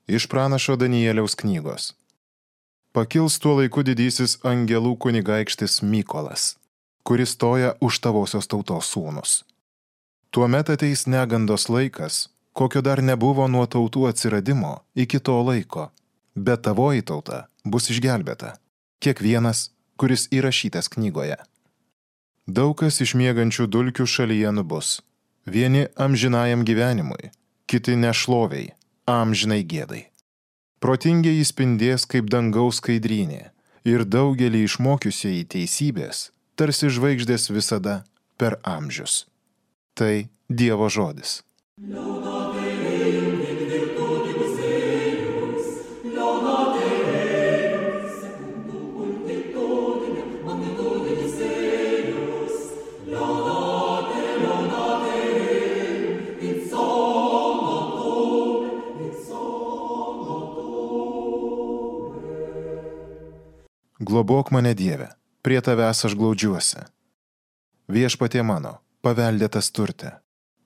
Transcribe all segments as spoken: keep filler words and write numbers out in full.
Iš pranašo Danieliaus knygos. Pakils tuo laiku didysis angelų kunigaikštis Mykolas, kuris stoja už tavosios tautos sūnus. Tuomet ateis negandos laikas, kokio dar nebuvo nuo tautų atsiradimo iki to laiko, bet tavoji tauta bus išgelbėta, kiekvienas, kuris įrašytas knygoje. Daug kas iš miegančių dulkių šalyje nubus, vieni amžinajam gyvenimui, kiti nešloviai, amžinai gėdai. Protingieji spindės kaip dangaus skaidrynė ir daugelį išmokiusieji teisybės, tarsi žvaigždės visada per amžius. Tai Dievo žodis. Globok mane, Dieve, prie tavęs aš glaudžiuosi. Viešpatie mano, paveldėtas turte,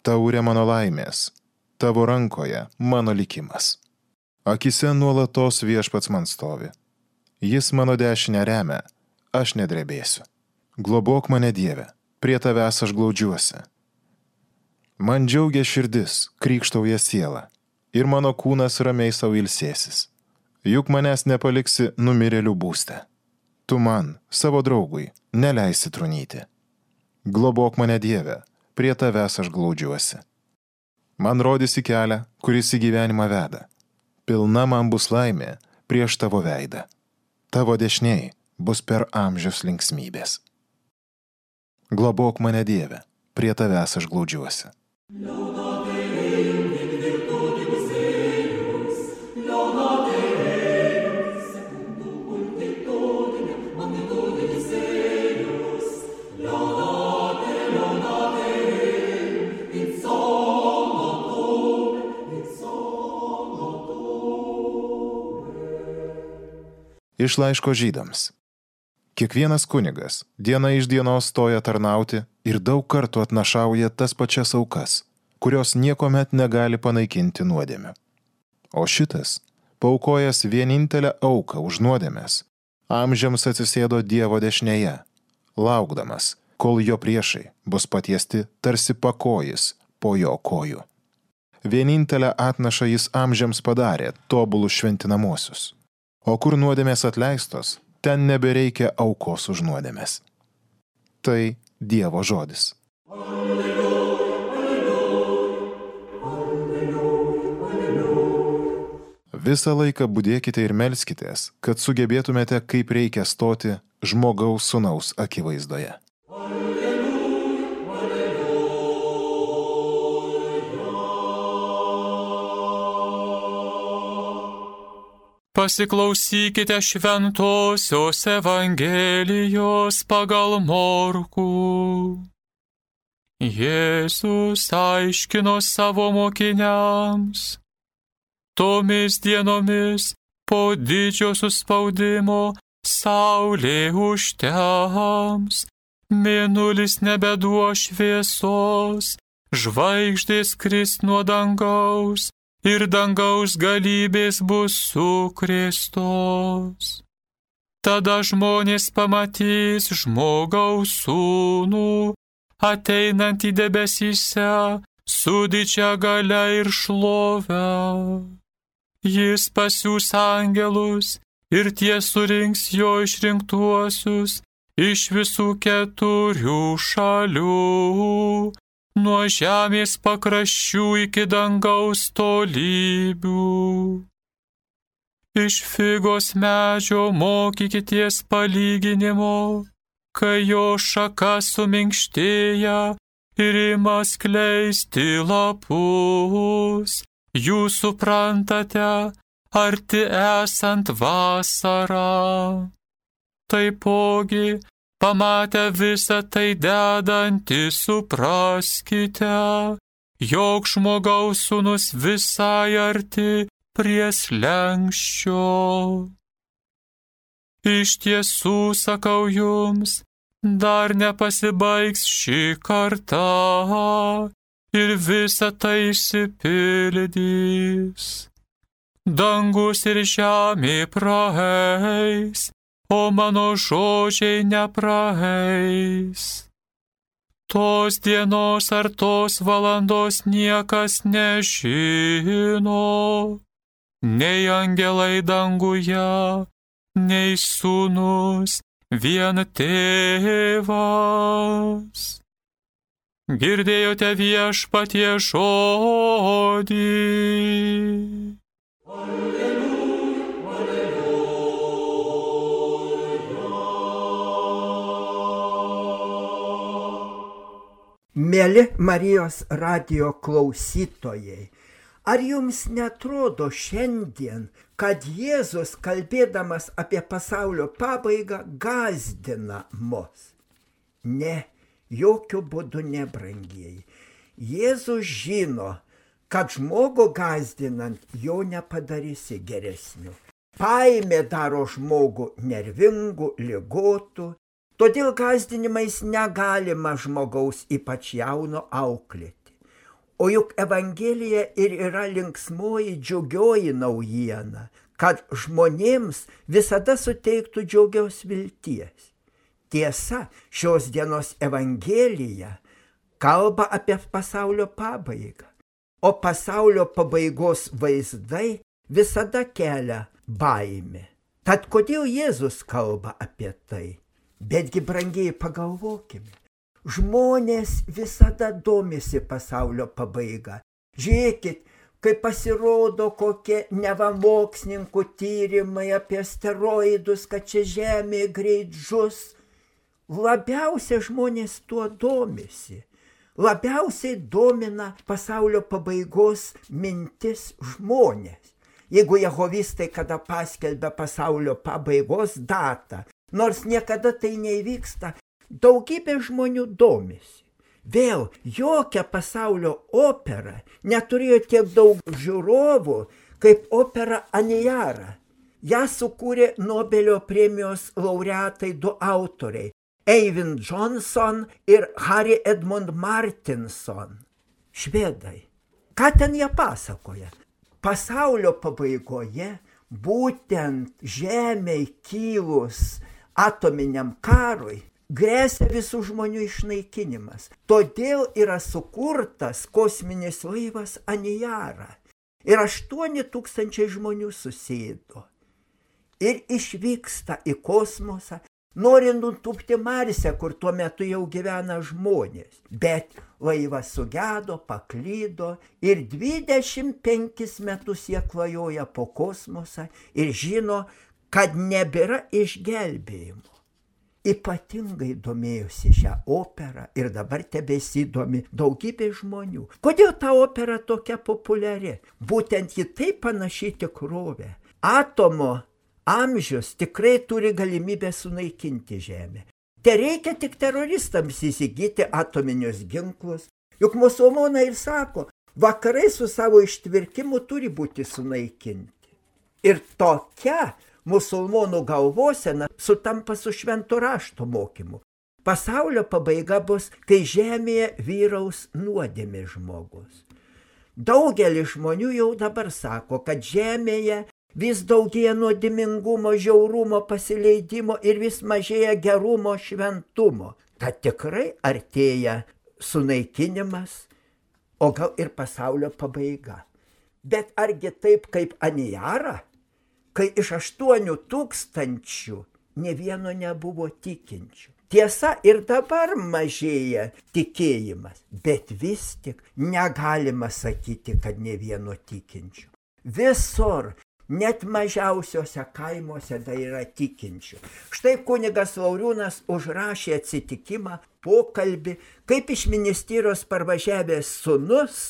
taurė mano laimės, tavo rankoje mano likimas. Akise nuolatos viešpats man stovi. Jis mano dešinę remia, aš nedrebėsiu. Globok mane, Dieve, prie tavęs aš glaudžiuosi. Man džiaugia širdis, krykštauja siela, ir mano kūnas ramiai sau ilsėsis. Juk manęs nepaliksi numirėlių būste. Tu man, savo draugui, neleisi trunyti. Globok mane, Dieve, prie tavęs aš glaudžiuosi. Man rodysi kelią, kuris į gyvenimą veda. Pilna man bus laimė prieš tavo veidą. Tavo dešiniai bus per amžius linksmybės. Globok mane, Dieve, prie tavęs aš glaudžiuosi. Iš laiško žydams. Kiekvienas kunigas diena iš dienos stoja tarnauti ir daug kartų atnašauja tas pačias aukas, kurios niekomet negali panaikinti nuodėmių. O šitas, paaukojęs vienintelę auką už nuodėmes, amžiams atsisėdo Dievo dešinėje, laukdamas, kol jo priešai bus patiesti tarsi pakojis po jo kojų. Vienintelę atnašą jis amžiams padarė tobulus šventinamosius. O kur nuodėmės atleistos, ten nebereikia aukos už nuodėmės. Tai Dievo žodis. Alleluja, alleluja, alleluja. Visą laiką budėkite ir melskitės, kad sugebėtumėte, kaip reikia stoti žmogaus sūnaus akivaizdoje. Pasiklausykite šventosios Evangelijos pagal Morkų. Jėzus aiškino savo mokiniams: tomis dienomis po didžio suspaudimo saulė užtems, mėnulis nebeduos šviesos, žvaigždės kris nuo dangaus, ir dangaus galybės bus sukrėstos. Tada žmonės pamatys žmogaus sūnų, ateinantį debesyse su didžia galia ir šlove. Jis pasiųs angelus ir tie surinks jo išrinktuosius iš visų keturių šalių, nuo žemės pakraščių iki dangaus tolybių. Iš figos medžio mokykitės palyginimo, kai jo šaka suminkštėja ir ima skleisti lapus. Jūs suprantate, arti esant vasarą. Taipogi, pamatę visą tai dedantį, supraskite, jog žmogaus sūnus visai arti prie slenksčio. Iš tiesų sakau jums, dar nepasibaigs ši karta ir visa tai išsipildys. dangus ir žemė praeis, o mano žodžiai nepraeis. Tos dienos ar tos valandos niekas nežino, nei angelai danguje, nei sūnus, vien tėvas. Girdėjote viešpatie žodį. Mėly Marijos radijo klausytojai, ar jums netrodo šiandien, kad Jėzus, kalbėdamas apie pasaulio pabaigą, gąsdina mus? Ne, jokių būdų ne, brangieji. Jėzus žino, kad žmogų gąsdinant jo nepadarysi geresniu. Baimė daro žmogų nervingų, ligotų. Todėl gąsdinimais negalima žmogaus, ypač jauno, auklėti. O juk Evangelija ir yra linksmoji, džiugioji naujiena, kad žmonėms visada suteiktų džiugios vilties. Tiesa, šios dienos Evangelija kalba apie pasaulio pabaigą, o pasaulio pabaigos vaizdai visada kelia baimę. Tad kodėl Jėzus kalba apie tai? Betgi, brangiai, pagalvokime, žmonės visada domisi pasaulio pabaiga. Žiūrėkit, kai pasirodo kokie neva mokslininkų tyrimai apie asteroidus, kad čia Žemė greit žus, labiausiai žmonės tuo domisi. Labiausiai domina pasaulio pabaigos mintis žmonės. Jeigu jehovistai kada paskelbia pasaulio pabaigos datą, nors niekada tai neįvyksta, daugybė žmonių domisi. Vėl, jokia pasaulio opera neturėjo tiek daug žiūrovų, kaip opera Aniara. Ja sukūrė Nobelio premijos laureatai du autoriai – Eyvind Johnson ir Harry Edmund Martinson. Švedai. Ką ten jie pasakoja? Pasaulio pabaigoje, būtent Žemei kilus atominiam karui, grėsia visų žmonių išnaikinimas. Todėl yra sukurtas kosminis laivas Aniara. Ir aštuoni tūkstančiai žmonių susėdo. Ir išvyksta į kosmosą, nori nutūpti Marse, kur tuo metu jau gyvena žmonės. Bet laivas sugedo, paklydo ir dvidešimt penkis metus jie klajoja po kosmosą ir žino, kad nebėra išgelbėjimo. Ypatingai domėjosi šią operą ir dabar tebesidomi daugybė žmonių. Kodėl ta opera tokia populiari? Būtent ji taip panaši tikrovę. Atomo amžius tikrai turi galimybę sunaikinti Žemę. Te reikia tik teroristams įsigyti atominius ginklus. Juk musulmonai ir sako, vakarai su savo ištvirkimu turi būti sunaikinti. Ir tokia musulmonų galvosena sutampa su švento rašto mokymu. Pasaulio pabaiga bus, kai Žemėje vyraus nuodėmė žmogus. Daugelis žmonių jau dabar sako, kad Žemėje vis daugėja nuodėmingumo, žiaurumo, pasileidimo ir vis mažėja gerumo, šventumo. Tad tikrai artėja sunaikinimas, o gal ir pasaulio pabaiga. Bet argi taip kaip Aniara, kai iš aštuonių tūkstančių ne vieno nebuvo tikinčių. Tiesa, ir dabar mažėja tikėjimas, bet vis tik negalima sakyti, kad ne vieno tikinčių. Visur, net mažiausiuose kaimuose dar yra tikinčių. Štai kunigas Lauriūnas užrašė atsitikimą, pokalbį, kaip iš ministerijos parvažiavęs sūnus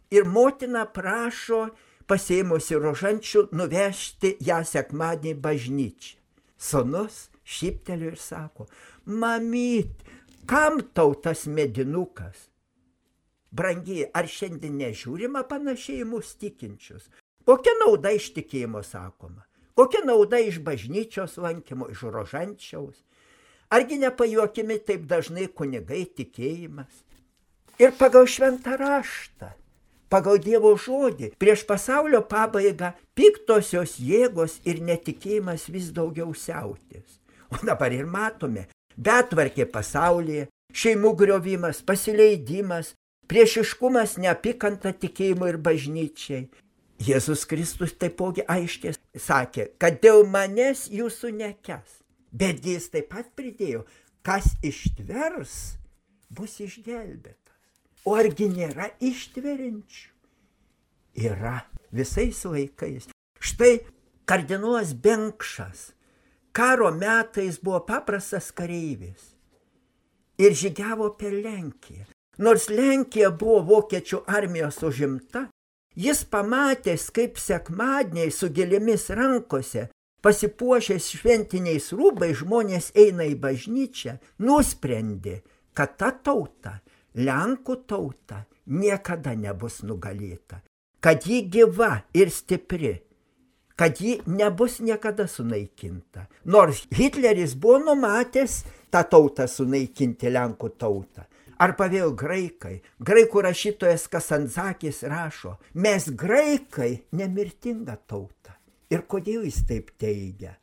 ir motina prašo pasėmusi rožančių nuvežti ją sekmadienį bažnyčią. Sūnus šypteliu ir sako, mamyt, kam tau tas medinukas? Brangiai, ar šiandien nežiūrima panašiai mus tikinčius? Kokia nauda iš tikėjimo sakoma? Kokia nauda iš bažnyčios lankymo, iš rožančiaus? Argi nepajuokimi taip dažnai kunigai tikėjimas? Ir pagal šventą raštą Pagal Dievo žodį prieš pasaulio pabaigą piktosios jėgos ir netikėjimas vis daugiau siautės. O dabar ir matome, betvarkė pasaulyje, šeimų griovimas, pasileidimas, priešiškumas, neapykanta tikėjimo ir bažnyčiai. Jėzus Kristus taipogi aiškiai sakė, kad dėl manęs jūsų nekęs. Bet jis taip pat pridėjo, kas ištvers, bus išgelbėtas. O argi nėra ištveriančių? Yra visais laikais. Štai kardinolas Benkšas karo metais buvo paprastas kareivis ir žygiavo per Lenkiją. Nors Lenkija buvo vokiečių armijos užimta, jis pamatęs, kaip sekmadieniai su gėlėmis rankose, pasipuošęs šventiniais rūbais žmonės eina į bažnyčią, nusprendė, kad ta tauta, Lenkų tauta, niekada nebus nugalėta, kad ji gyva ir stipri, kad ji nebus niekada sunaikinta. Nors Hitleris buvo numatęs tą tautą sunaikinti, Lenkų tautą. Arba vėl graikai. Graikų rašytojas Kasandzakis rašo, mes graikai nemirtinga tauta. Ir kodėl jis taip teigia?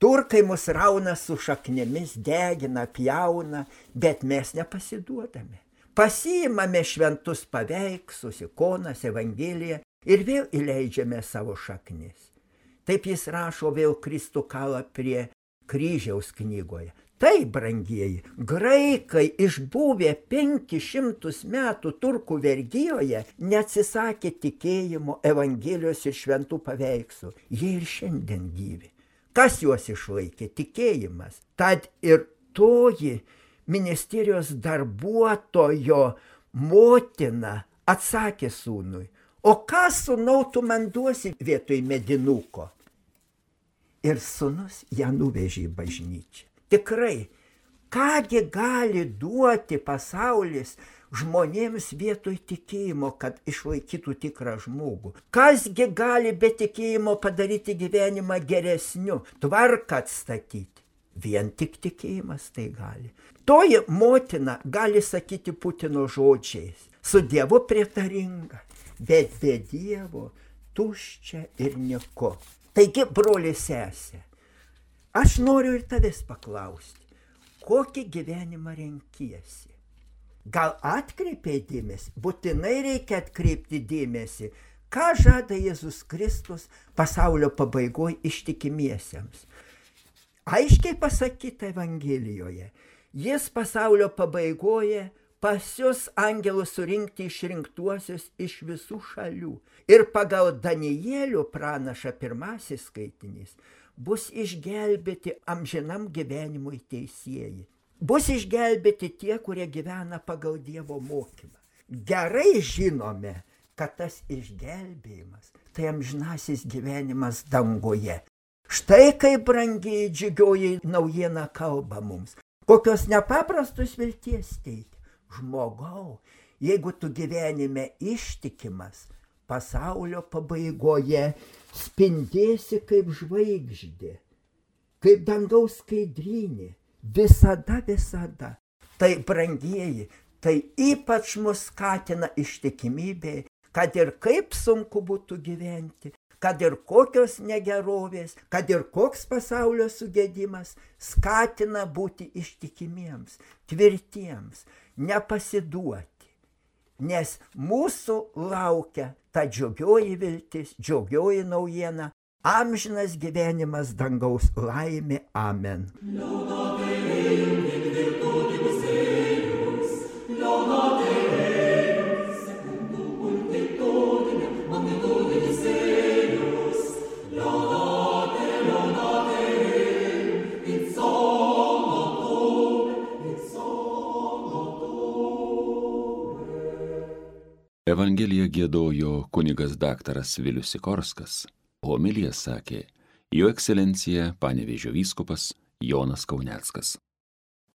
Turkai mus rauna su šaknėmis, degina, pjauna, bet mes nepasiduodame. Pasiimame šventus paveikslus, ikonas, evangeliją ir vėl įleidžiame savo šaknis. Taip jis rašo vėl Kristų kalą prie kryžiaus knygoje. Tai, brangieji, graikai išbuvę penkis šimtus metų turkų vergijoje neatsisakė tikėjimo, evangelijos ir šventų paveikslų. Jie ir šiandien gyvi. Kas juos išlaikė? Tikėjimas. Tad ir toji ministerijos darbuotojo motina atsakė sūnui, o ką sūnau tu man duosi vietoj medinuko? Ir sūnus ją nuvežė į bažnyčią. Tikrai, kągi gali duoti pasaulis žmonėms vietoj tikėjimo, kad išlaikytų tikrą žmogų? Kasgi gali be tikėjimo padaryti gyvenimą geresniu, tvarką atstatyti? Vien tik tikėjimas tai gali. Toji motina gali sakyti Putino žodžiais, su Dievu prietaringa, bet be Dievo tuščia ir nieko. Taigi, broli sesė, aš noriu ir tavęs paklausti, kokį gyvenimą renkiesi? Gal atkreipiai dėmesį? Būtinai reikia atkreipti dėmesį, ką žada Jėzus Kristus pasaulio pabaigoje ištikimiesiems. Aiškiai pasakyta Evangelijoje, jis pasaulio pabaigoje pasius angelus surinkti išrinktuosius iš visų šalių. Ir pagal Danielio pranašą pirmasis skaitinys bus išgelbėti amžinam gyvenimui teisieji. Bus išgelbėti tie, kurie gyvena pagal Dievo mokymą. Gerai žinome, kad tas išgelbėjimas tai amžinasis gyvenimas dangoje. Štai kaip brangiai džiugioji naujiena kalba mums. Kokios nepaprastos vilties teikia. Žmogau, jeigu tu gyvenime ištikimas, pasaulio pabaigoje spindėsi kaip žvaigždė, kaip dangaus skaidrynė, visada, visada. Tai, brangieji, tai ypač mus skatina ištikimybė, kad ir kaip sunku būtų gyventi, kad ir kokios negerovės, kad ir koks pasaulio sugedimas, skatina būti ištikimiems, tvirtiems, nepasiduoti. Nes mūsų laukia ta džiugioji viltis, džiugioji naujiena, amžinas gyvenimas, dangaus laimė. Amen. Evangeliją giedojo kunigas daktaras Vilius Sikorskas, homiliją sakė jo ekscelencija Panevėžio vyskupas Jonas Kauneckas.